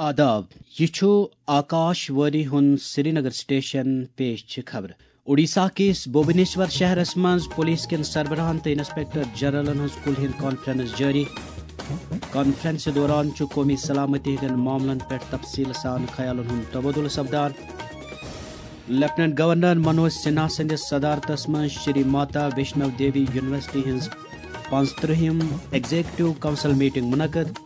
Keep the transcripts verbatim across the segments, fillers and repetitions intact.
آداب، یہِ چھُ آکاش وٲنی ہُنٛد سرینگر سٹیشن۔ پیش چھِ خبرٕ۔ اوڈیشہ کِس بھوبنیشور شہرس منٛز پولیس کٮ۪ن سربراہن تہٕ انسپکٹر جنرلن ہٕنٛز کُلہِ ہِنٛد کانفرنس جٲری۔ کانفرنسہِ دوران چھُ قومی سلامتی ہٕنٛدٮ۪ن معاملن پٮ۪ٹھ تفصیٖل سان خیالن ہُنٛد تبادلہٕ سپدان۔ لیفٹیننٹ گورنر منوج سنہا سٕنٛدِس صدارتس منٛز شری ماتا ویشنو دیوی یونیورسٹی ہٕنٛز پانٛژترٕٛہِم ایگزیکٹو کونسل میٹنگ منعقد۔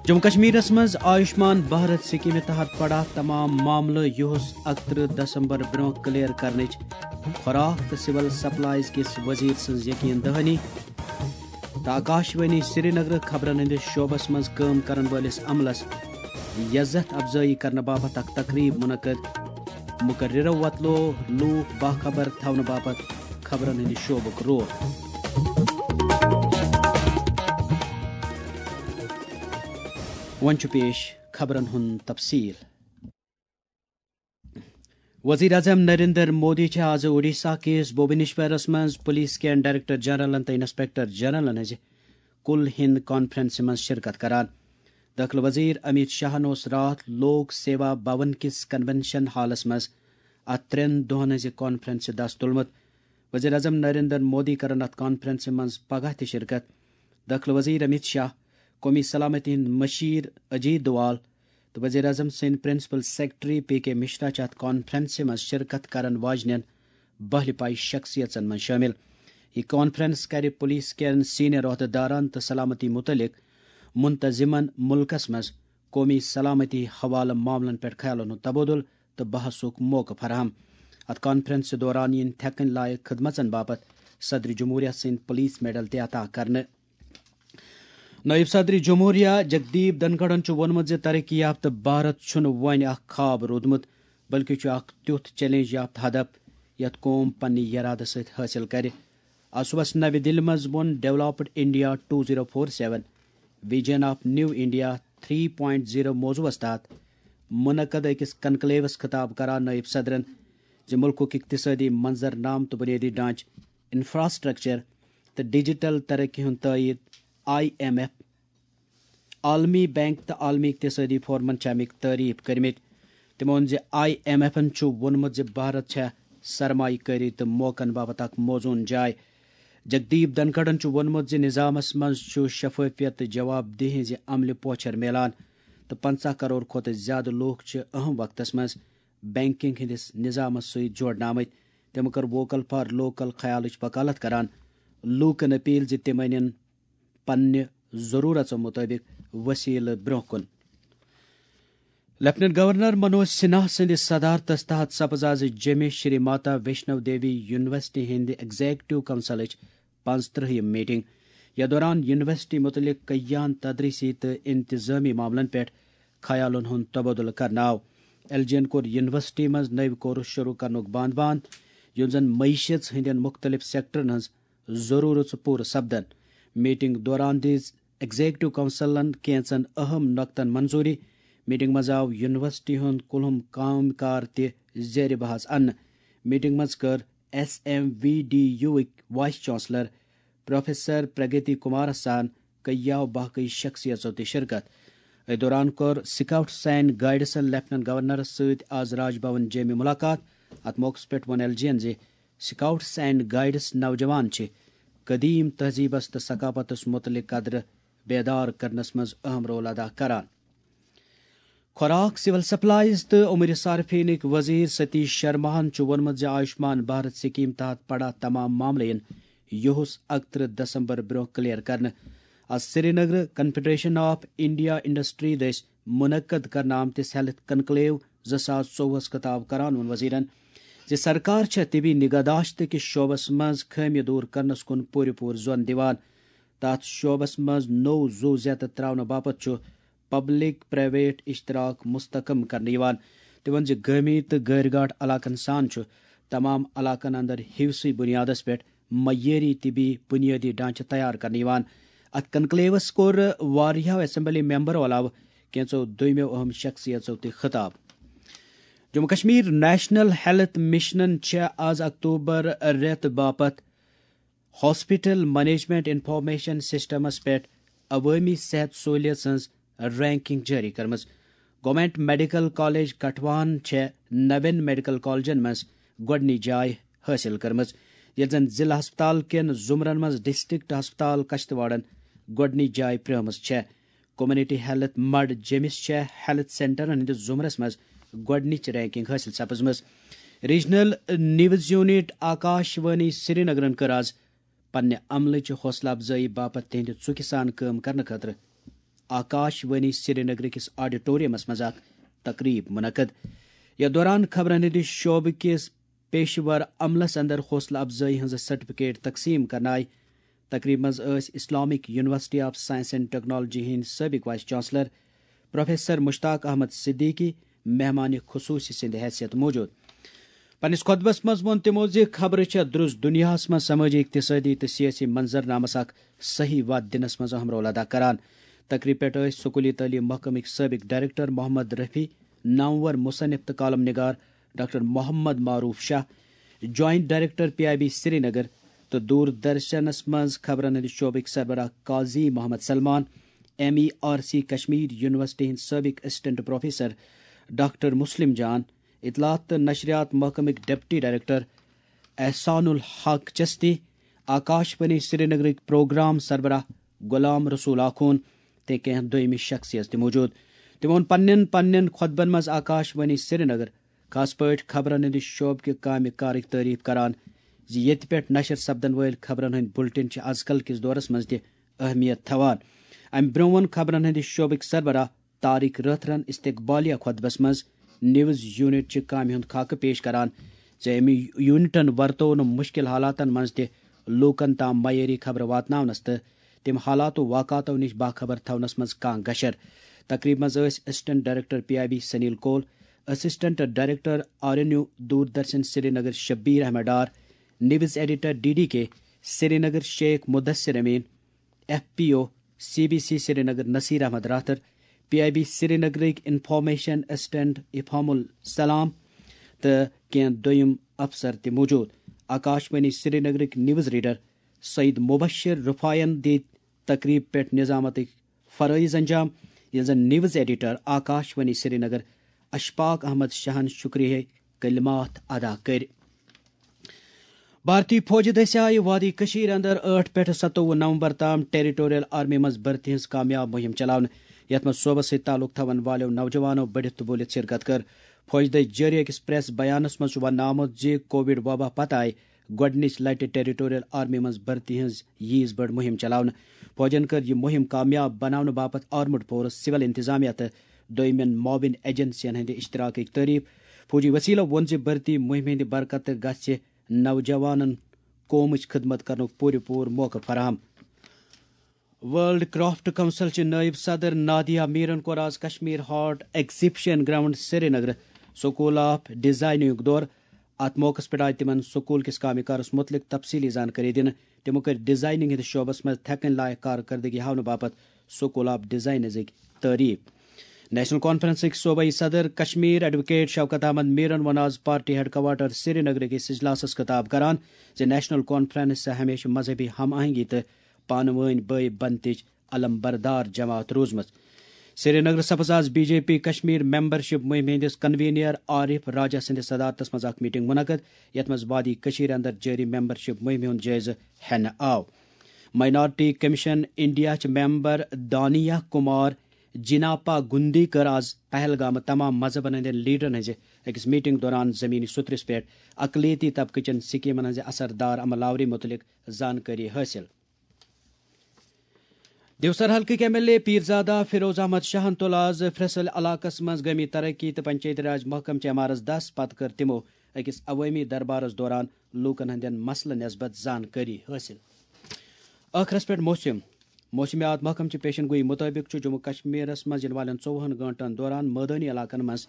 جموں کشمیرس منٛز آیوشمان بھارت سکیمہِ تحت پڑا تمام معاملہٕ، یُہُس اکترٕہ دسمبر برونٛہہ کلیئر کرنٕچ خوراک تہٕ سول سپلائز کِس وزیر سٕنٛز یقین دہانی۔ تہٕ آکاشوانی سرینگر خبرن ہٕنٛدِس شعبس منٛز کٲم کرن وٲلِس عملس یزتھ افزٲیی کرنہٕ باپتھ اکھ تقریب منعقد۔ مقررو وۄتلو لوٗکھ باخبر تھاونہٕ باپتھ خبرن ہٕنٛدِ شعبُک رول۔ وۄنۍ چھُ پیش خبرن ہُنٛد تفصیل۔ وزیر اعظم نریندر مودی چھِ آز اوڈیشہ کِس بھوبنیشورس منٛز پولیس کٮ۪ن ڈائریکٹر جنرلن تہٕ انسپکٹر جنرلن ہٕنٛزِ کُل ہِنٛد کانفرنسہِ منٛز شرکت کران۔ دٲخلہٕ وزیر امیت شاہن اوس راتھ لوک سیوا بھون کِس کنونشن ہالس منٛز اتھ ترٛٮ۪ن دۄہن ہٕنٛزِ کانفرنسہِ دس تُلمُت۔ وزیر اعظم نریندر مودی کرن اتھ کانفرنسہِ منٛز پگاہ تہِ شرکت۔ دٲخلہٕ وزیر امیت شاہ، قومی سلامتی ہٕنٛدۍ مشیر اجیت دوال تہٕ وزیر اعظم سٕنٛدۍ پرنسپل سیکرٹری پی کے مشرا چھِ اتھ کانفرنسہِ منٛز شرکت کرن واجنٮ۪ن بہلہِ پایہِ شخصیژن منٛز شٲمِل۔ یہِ کانفرنس کرِ پولیس کٮ۪ن سینئر عہدٕدارن تہٕ سلامتی مُتعلق منتظمن مُلکس منٛز قومی سلامتی حوالہٕ معاملن پٮ۪ٹھ خیالن ہُنٛد تبادلہٕ تہٕ بحثُک موقعہٕ فراہم۔ اتھ کانفرنسہِ دوران یِن تھٮ۪کٕنۍ لایق خدمژن باپتھ صدر جمہوریہ سٕنٛدۍ پولیس میڈل تہِ عطا کرنہٕ۔ نائب صدر جمہوریہ جگدیپ دھنکھڑن چھُ ووٚنمُت زِ ترقی یافتہٕ بھارت چھُنہٕ وۄنۍ اکھ خواب روٗدمُت، بلکہِ چھُ اکھ تیُتھ چیلنج یافتہٕ ہدف یتھ قوم پننہِ ارادٕ سۭتۍ حٲصِل کرِ۔ آز صُبحس نَوِ دِلہِ منٛز ووٚن Developed India two zero four seven Vision of New India three point zero موضوعس تحت منعقد أکِس کنکلیوس خطاب کران نائب صدرن زِ مُلکُک اقتصٲدی منظرنامہٕ تہٕ بُنیٲدی ڈھانچہٕ، انفراسٹرکچر تہٕ ڈیجیٹل ترقی ہُنٛد تٲیید۔ آئی ایم ایف، عالمی بینک تہٕ عالمی اقتصٲدی فورمن چھِ اَمِکۍ تعریف کٔرمٕتۍ۔ تِمو ووٚن زِ آئی ایم ایفن چھُ ووٚنمُت زِ بھارت چھےٚ سرمایہ کٲری تہٕ موقعن باپتھ اکھ موزوٗن جاے۔ جگدیپ دھنکھڑن چھُ ووٚنمُت زِ نظامس منٛز چھُ شفافیت تہٕ جواب دہی ہٕنٛزِ عملہِ پوچھر میلان تہٕ پنٛژاہ کرور کھۄتہٕ زِیٛادٕ لوٗکھ چھِ اہم وقتس منٛز بینکنگ ہٕنٛدِس نظامس سۭتۍ جوڑنہٕ آمٕتۍ۔ تٔمۍ کٔر ووکل فار لوکل خیالٕچ وکالت کران لوٗکن اپیل زِ تِم انن پننہِ ضروٗرژو مُطٲبِق وسیلہٕ برٛونٛہہ کُن۔ لیفٹیننٹ گورنر منوج سنہا سٕنٛدِ صدارتس تحت سپٕز آز جیٚمہِ شری ماتا ویشنو دیوی یونیورسٹی ہٕنٛدِ ایگزیکٹو کونسلٕچ پانٛژترٕٛہِم میٹنگ۔ یتھ دوران یونیورسٹی مُتعلق کیان تدریسی تہٕ انتظامی معاملن پٮ۪ٹھ خیالن ہُنٛد تبادلہٕ کرنہٕ آو۔ ایل جی ین کوٚر یونیورسٹی منٛز نٔوۍ کورس شروع کرنُک بند بند، یُس زن معیشت ہٕنٛدٮ۪ن مُختٔلِف سیکٹرن ہٕنٛز ضروٗرژ پوٗرٕ سپدن۔ میٹنگ دوران دِژ ایگزیکٹو کونسلن کینژن اہم نۄقطن منظوٗری۔ میٹنگ منٛز آو یونیورسٹی ہُنٛد کُلہُم کامہِ کار تہِ زیر بحث اننہٕ۔ میٹنگ منٛز کٔر S M V D U vice chancellor professor Pragati کمارس سان کیاو باقی شخصیژو تہِ شرکت۔ أتھۍ دوران کوٚر سکاؤٹس اینڈ گائیڈسن لیفٹیننٹ گورنرس سۭتۍ آز راج بھون جیمہِ ملاقات۔ اتھ موقعس پٮ۪ٹھ ووٚن ایل جی ین زِ سکاؤٹس اینڈ گائیڈس نوجوان چھِ قدیم تہذیبس تہٕ ثقافتس متعلق قدرٕ بیدار کرنس منٛز اہم رول ادا کران۔ خوراک، سول سپلائز تہٕ امور صارفینٕکۍ وزیر ستیش شرماہن چھُ ووٚنمُت زِ آیوشمان بھارت سکیم تحت پڑا تمام معاملہٕ یِن یُہُس اکترٕہ دسمبر برونٛہہ کلیئر کرنہٕ۔ از Srinagar confederation of India industry دٔسۍ منعقد کرنہٕ آمتِس ہیلتھ کنکلیو زٕ ساس ژوٚوُہس خطاب کران ووٚن وزیرن زِ سرکار چھےٚ طبی نگہداشت کِس شعبس منٛز خٲمیہِ دور کرنس کُن پوٗرٕ پوٗرٕ زون دِوان۔ تتھ شعبس منٛز نوٚو زُو زیتہٕ تراونہٕ باپتھ چھُ پبلک پرائیویٹ اشتراک مستحکم کرنہٕ یِوان۔ تٔمۍ ووٚن زِ گٲمی تہٕ غٲرۍ گاٹھ علاقن سان چھُ تمام علاقن اندر حصہٕ بنیادس پٮ۪ٹھ معیٲری طبی بنیٲدی ڈھانچہٕ تیار کرنہٕ یِوان۔ اتھ کنکلیوس کوٚر واریاہو اسمبلی ممبرو علاوٕ کینژو دویمو اہم شخصیژو تہِ خطاب۔ جموں کشمیر نیشنل ہیلتھ مشنن چھےٚ از اکتوبر رٮ۪تھ باپتھ ہاسپٹل مینجمنٹ انفارمیشن سسٹمس پٮ۪ٹھ عوٲمی صحت سہولیژ ہٕنٛز رینکنگ جٲری کٔرمٕژ۔ گورنمنٹ میڈیکل کالج کٹھوہن چھےٚ نوٮ۪ن میڈیکل کالجن منٛز گۄڈٕنِچ جاے حٲصِل کٔرمٕژ، ییٚلہِ زن ضلع ہسپتال کٮ۪ن زمرن منٛز ڈسٹرکٹ ہسپتال کشتواڑن گۄڈٕنِچ جاے پرٛٲومٕژ چھےٚ۔ کمیونٹی ہیلتھ مڈ جیمِس چھےٚ ہیلتھ سینٹرن ہٕنٛدِس زمرس منٛز گۄڈٕنِچ رینکنگ حٲصِل سپٕزمٕژ۔ Regional news unit Akashvani سرینگرن کٔر آز پننہِ عملٕچ حوصلہٕ افزٲیی باپتھ تِہنٛدِ ژُکہِ سان کٲم کرنہٕ خٲطرٕ آکاش وانی سرینگر کِس آڈیٹورمس منٛز اکھ تقریب منعقد۔ یتھ دوران خبرن ہٕنٛدِ شعبہٕ کِس پیشہٕ ور عملس اندر حوصلہٕ افزٲیی ہٕنٛز سرٹیفکیٹ تقسیٖم کرنہٕ آیہِ۔ تقریبہِ منٛز ٲسۍ Islamic university of science and technology ہٕنٛدۍ سٲبق vice chancellor professor Mushtaq Ahmad Siddiqui مہمان خصوصی سٕنٛدِ حیثیت موجود۔ پننِس خطبس منٛز ووٚن تِمو زِ خبرٕ چھےٚ درست دُنیاہس منٛز سمٲجی، اقتصٲدی تہٕ سیٲسی منظرنامس اکھ صحیح وتھ دِنس منٛز اہم رول ادا کران۔ تقریبہِ پٮ۪ٹھ ٲسۍ سکولی تعلیٖم محکمٕکۍ سٲبق ڈائریکٹر محمد رفیع، نامور مصنف تہٕ کالم نگار doctor Mohammad Maroof Shah, joint director P I B Srinagar تہٕ دوردرشنس منٛز خبرن ہٕنٛدِ شعبٕکۍ سربراہ Qazi Mohammad Salman, M E R C Kashmir university ہٕنٛدۍ سٲبق assistant professor doctor Muslim Jan, اطلاعات تہٕ نشریات محکمٕکۍ ڈپٹی ڈائریکٹر احسان الحق چستی، آکاش وانی سرینگرٕکۍ پروگرام سربراہ غلام رسول آخون تہٕ کینٛہہ دوٚیمہِ شخصیژ تہِ موجود۔ تِمو ووٚن پننٮ۪ن پننٮ۪ن خطبن منٛز آکاش وانی سرینگر، خاص پٲٹھۍ خبرن ہٕنٛدِ شعبہٕ کہِ کامہِ کارٕچ تعریف کران زِ ییٚتہِ پٮ۪ٹھ نشر سپدن وٲلۍ خبرن ہٕنٛدۍ بلٹن چھِ از کل کِس دورس منٛز تہِ اہمیت تھاوان۔ امہِ برٛونٛہہ ووٚن خبرن ہٕنٛدِ شعبٕکۍ سربراہ طارق رٲتھرن استقبالیہ خطبس منٛز نیوز یونٹ چہِ کامہِ ہُنٛد خاکہٕ پیش کران زِ امہِ یونٹن ورتوو نہٕ مشکل حالاتن منٛز تہِ لوٗکن تام معیٲری خبرٕ واتناونس تہٕ تِم حالاتو واقعاتو نِش باخبر تھاونس منٛز کانٛہہ گشر۔ تقریبہِ منٛز ٲسۍ assistant director P I B Sunil Koul, assistant director R N U Doordarshan Srinagar Shabir Ahmad Dar, news editor D D K Srinagar Sheikh Mudasir Amin, F P O C B C Srinagar Nasir Ahmad Rather, P I B سرینگرٕکۍ انفارمیشن اسسٹنٹ افہام السلام تہٕ کینٛہہ دوٚیم افسر تہِ موجود۔ آکاش وانی سرینگرٕکۍ نیوز ریڈر سعید مبشر رفاعین دِتۍ تقریب پٮ۪ٹھ نظامتٕکۍ فرٲیض انجام، ییٚلہِ زن نیوز ایڈیٹر آکاش وانی سرینگر اشفاق احمد شاہن شکریہ کلمات ادا کٔرۍ۔ بھارتی فوجہِ دٔسۍ آیہِ وادی کٔشیٖر اندر ٲٹھ پٮ۪ٹھ ستووُہ نومبر تام ٹیریٹوریل آرمی منٛز بھرتی ہٕنٛز کامیاب مُہِم چلاونہٕ، یتھ منٛز صوبس سۭتۍ تعلق تھاوَن والیو نوجوانو بٔڑِتھ تہٕ بوٗلِتھ شرکت کٔر۔ فوجہِ دٔسۍ جٲری أکِس پریس بیانس منٛز چھُ وننہٕ آمُت زِ کووڈ وبا پتہٕ آیہِ گۄڈٕنِچ لٹہِ ٹیریٹوریل آرمی منٛز بھرتی ہٕنٛز ییٖژ بٔڑ مُہِم چلاونہٕ۔ فوجَن کٔر یہِ مُہِم کامیاب بناونہٕ باپتھ آرمڈ فورس، سول انتظامیہ تہٕ دوٚیمٮ۪ن معاون ایجنسین ہٕنٛدِ اشتراکٕچ تعریف۔ فوجی وسیلو ووٚن زِ بھرتی مُہِمہِ ہٕنٛدِ برکتہٕ گژھِ نوجوانن قومٕچ خدمت کرنُک پوٗرٕ پوٗرٕ موقعہٕ فراہم۔ ورلڈ کرافٹ کونسل چہِ نائب صدر نادیہ میرن کوٚر آز Kashmir heart exhibition ground Srinagar school of designing دورٕ۔ اتھ موقعس پٮ۪ٹھ آیہِ تِمن سکول کِس کامہِ کارس مُتعلق تفصیٖلی زانکٲری دِنہٕ۔ تِمو کٔرۍ ڈیزائننگ ہٕنٛدِس شعبس منٛز تھٮ۪کٕنۍ لایق کارکردگی ہاونہٕ باپتھ سکول آف ڈیزائنزٕکۍ تعریف۔ نیشنل کانفرنسٕکۍ صوبائی صدر کشمیر ایڈووکیٹ شوکت احمد میرن ووٚن آز پارٹی ہیڈ کوارٹر سرینگرٕ کِس اجلاسس خطاب کران زِ نیشنل کانفرنس چھِ ہمیشہٕ مذہبی ہم آہنگی تہٕ پانہٕ وٲنۍ بٲے بنتٕچ علم بردار جماعت روٗزمٕژ۔ سرینگر سپٕز آز B J P Kashmir membership مُہِمہِ ہٕنٛدِس کنوینر عارف راجہ سٕنٛدِس صدارتس منٛز اکھ میٹنگ منعقد، یتھ منٛز وادی کشمیر اندر جٲری ممبرشپ مُہِمہِ ہُنٛد جٲیزٕ ہٮ۪نہٕ آو۔ مائنارٹی کمیشن انڈیا چہِ ممبر دانیہ کمار جناپا گُندی کٔر آز پہلگامہٕ تمام مذہبن ہٕنٛدٮ۪ن لیڈرن ہٕنٛزِ أکِس میٹنگ دوران زمینی سطرس پٮ۪ٹھ اقلیتی طبقہٕ چٮ۪ن سکیمن ہٕنٛزِ اثردار عمل آوری مُتعلق زانکٲری حٲصِل۔ دیوسر حلقٕکۍ M L A Peerzada Feroz Ahmad شاہن تُل آز فرسل علاقس منٛز گٲمی ترقی تہٕ پنچایتی راج محکمہٕ چہِ ایم آر ایس دس پتہٕ کٔر تِمو أکِس عوٲمی دربارس دوران لوٗکن ہٕنٛدٮ۪ن مسلہٕ نسبت زانکٲری حٲصِل۔ ٲخرس پٮ۪ٹھ موسم۔ موسمیات محکمہٕ چہِ پیشن گویی مُطٲبِق چھُ جموں کشمیرس منٛز یِنہٕ والٮ۪ن ژوٚوُہن گٲنٛٹن دوران مٲدٲنی علاقن منٛز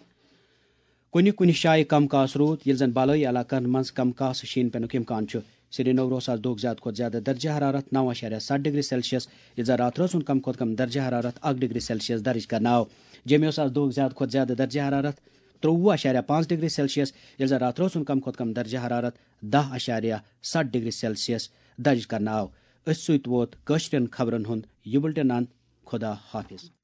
کُنہِ کُنہِ جایہِ کم کاس روٗد، ییٚلہِ زن بالٲیی علاقن منٛز کم کاس شیٖن پینُک امکان چھُ۔ سرینگرس آز دۄہُک زیادٕ کھۄتہٕ زیادٕ درجہ حرارت نو اعشاریہ ستھ ڈگری سیلسیس، ییٚلہِ زن راتہٕ رٲژ ہُنٛد کم کھۄتہٕ کم درجہ حرارت اکھ ڈگری سیلسیس درج کرنہٕ آو۔ جیمہِ اوس آز دۄہُک زیادٕ کھۄتہٕ زیادٕ درجہ حرارت ترٛوٚوُہ اعشاریہ پانٛژھ ڈگری سیلسیس، ییٚلہِ زن راتہٕ رٲژ ہُنٛد کم کھۄتہٕ کم درجہ حرارت دہ اعشاریہ ستھ ڈگری سیلسیس درج کرنہٕ آو۔ أتھۍ سۭتۍ ووت کٲشرٮ۪ن خبرن ہُنٛد یہِ بُلٹن اند۔ خدا حافظ۔